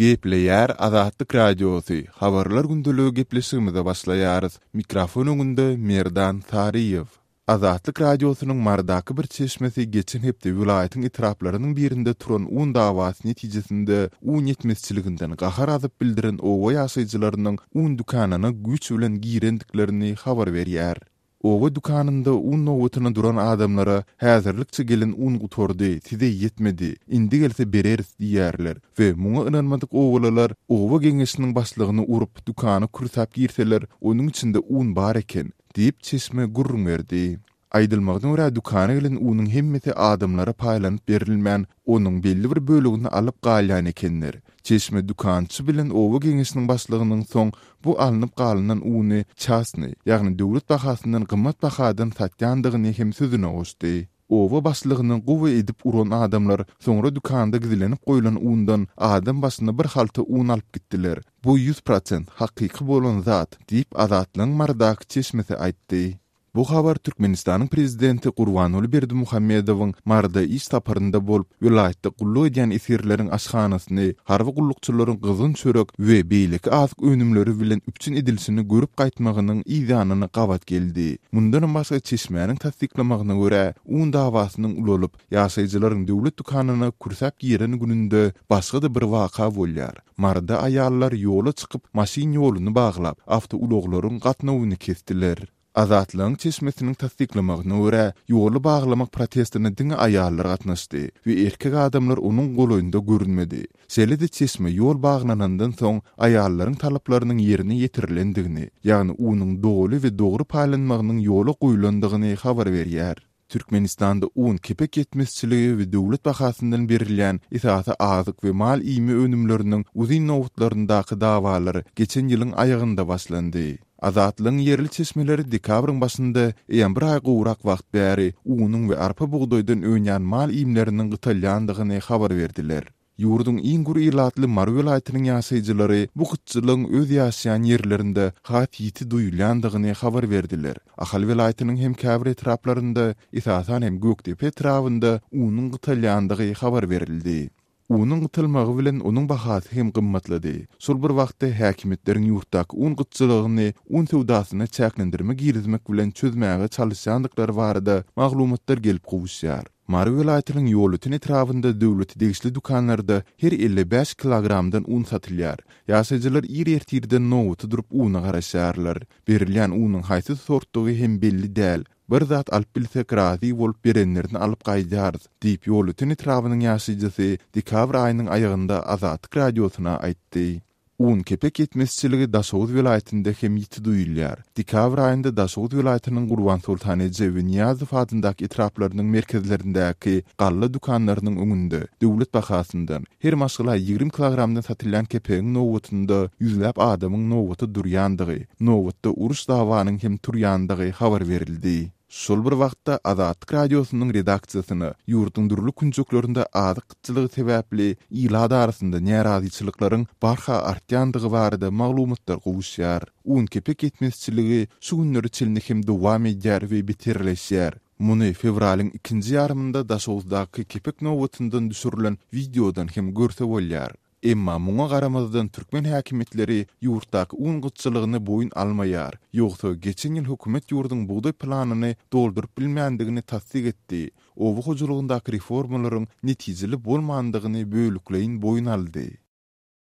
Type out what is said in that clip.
Gepleýär Azatlyk Radiosy, Habarlar gündeligi gepleşigimize başlaýarys. Mikrofon öňünde Merdan Saryýew. Azatlyk Radiosynyň Marydaky bir çeşmesi geçen hepde welaýatyň etraplarynyň birinde turan un dawasy netijesinde un ýetmezçiliginden gahar azyp bildiren oba ýaşaýjylarynyň un dükanyna güýç bilen girendiklerini habar berýär. Oba dükanynda un nobatyna duran adamlara häzirlikçe gelen un gutardy, size ýetmedi, indi gelse bereris diýýärler we muňa ynanmadyk obalylar oba geňeşiniň başlygyny urup, dükana kürsäp girseler, onuň içinde un bar eken, diýip, çeşme gürrüň berdi. Aýdylmagyna görä, dükana gelen unuň hemmesi adamlara paýlanyp berilmän, onuň belli bir bölegini alyp galýan ekenler. Çeşme dükançy bilen oba geňeşiniň başlygynyň soň bu alnyp galynan uny çasnyý, ýagny döwlet bahasyndan gymmat bahadan satýandygyny hem sözüne goşdy. Oba başlygyny gowy edip uran adamlar soňra dükanda gizlenip goýlan undan adam başyna bir halta un alyp gitdiler. Bu 100% hakyky bolan zat, diýip, Azatlygyň Marydaky çeşmesi aýtdy. Bu habar Türkmenistanyň prezidenti Gurbanguly Berdimuhamedowyň Maryda iş saparynda bolup, welaýatda gulluk edýän esgerleriň aşhanasyny, harby gullukçylaryň gyzgyn çörek we beýleki azyk önümleri bilen üpjün edilişini görüp gaýtmagynyň yzýanyna gabat geldi. Mundanam başga çeşmäniň tassyklamagyna görä, un dawasynyň ulalyp, ýaşaýjylaryň döwlet dükanyna kürsäp giren gününde başga-da bir waka bolýar. Maryda aýallar ýola çykyp, maşyn ýoluny baglap, awtoulaglaryň gatnawyny kesdiler. Azatlygyň çeşmesiniň tassyklamagyna görä, ýoly baglamak protestine diňe aýallar gatnaşdy we erkek adamlar onuň golaýynda görünmedi. Şeýle-de çeşme ýol baglanandan soň aýallaryň talaplarynyň ýerine ýetirilendigini, ýagny unuň doly we dogry paýlanmagynyň ýola goýlandygyny habar berýär. Türkmenistanda un, kepek ýetmezçiligi we döwlet bahasyndan berilýän esasy azyk we mal iými önümleriniň uzyn nobatlaryndaky dawalar geçen ýylyň aýagynda başlandy. Azatlygyň ýerli çeşmeleri dekabryň başynda eýýäm bir aý gowrak wagt bäri unuň we arpa-bugdaýdan önýän mal iýmleriniň gytalýandygyny habar berdiler. Ýurduň iň gür ilatly Mary welaýatynyň ýaşaýjylary bu gytçylygyň öz ýaşaýan ýerlerinde has ýiti duýulýandygyny habar berdiler. Ahal welaýatynyň hem käbir etraplarynda, esasan hem Gökdepe etrabynda unuň gytalýandygy habar berildi. Unuň gytalmagy bilen onuň bahasy hem gymmatlady. Şol bir wagtda häkimiýetleriň ýurtdaky un gytçylygyny un söwdasyna çäklendirme girizmek bilen çözmäge çalyşýandyklary barada maglumatlar gelip gowuşýar. Mary welaýatynyň Ýolöten etrabynda döwlete degişli dükanlarda her 55 kilogramdan un satylýar. Ýaşaýjylar ir ertirden nobata durup una garaşýarlar. Berilýän unuň haýsy sortdugy hem belli däl. Bir zat alyp bilsek razy bolup berenlerini alyp gaýdýarys, diýip Ýolöten etrabynyň ýaşaýjysy dekabr aýynyň aýagynda Azatlyk Radiosyna aýtdy. Un, kepek ýetmezçiligi Daşoguz welaýatynda hem ýiti duýulýar. Dekabr aýynda Daşoguz welaýatynyň Gurbansoltan eje we Nyýazow adyndaky etraplarynyň merkezlerindäki galla dükanlarynyň öňünde döwlet bahasyndan, her maşgala 20 kilogramdan satylýan kepegiň nobatynda ýüzläp adamyň nobata durýandygy, nobatda uruş-dawanyň hem turýandygy habar berildi. Şol bir wagtda, Azatlyk Radiosynyň redaksiýasyna ýurduň dürli künjeklerinde azyk gytçylygy sebäpli ilat arasynda närazyçylyklaryň barha artýandygy barada maglumatlar gowuşýar. Un-kepek ýetmezçiligi şu günlere çenli hem dowam edýär we beterleşýär. Muny fewralyň ikinji ýarymynda Daşoguzdaky kepek nobatyndan düşürilen wideodan hem görse bolýar. Emma muňa garamazdan türkmen häkimiýetleri ýurtdaky un gytçylygyny boýun almaýar. Ýogsa, geçen ýyl hökümet ýurduň bugdaý planyny dolduryp bilmändigini tassyk etdi, oba hojalygyndaky reformalaryň netijeli bolmandygyny bölekleýin boýun aldy.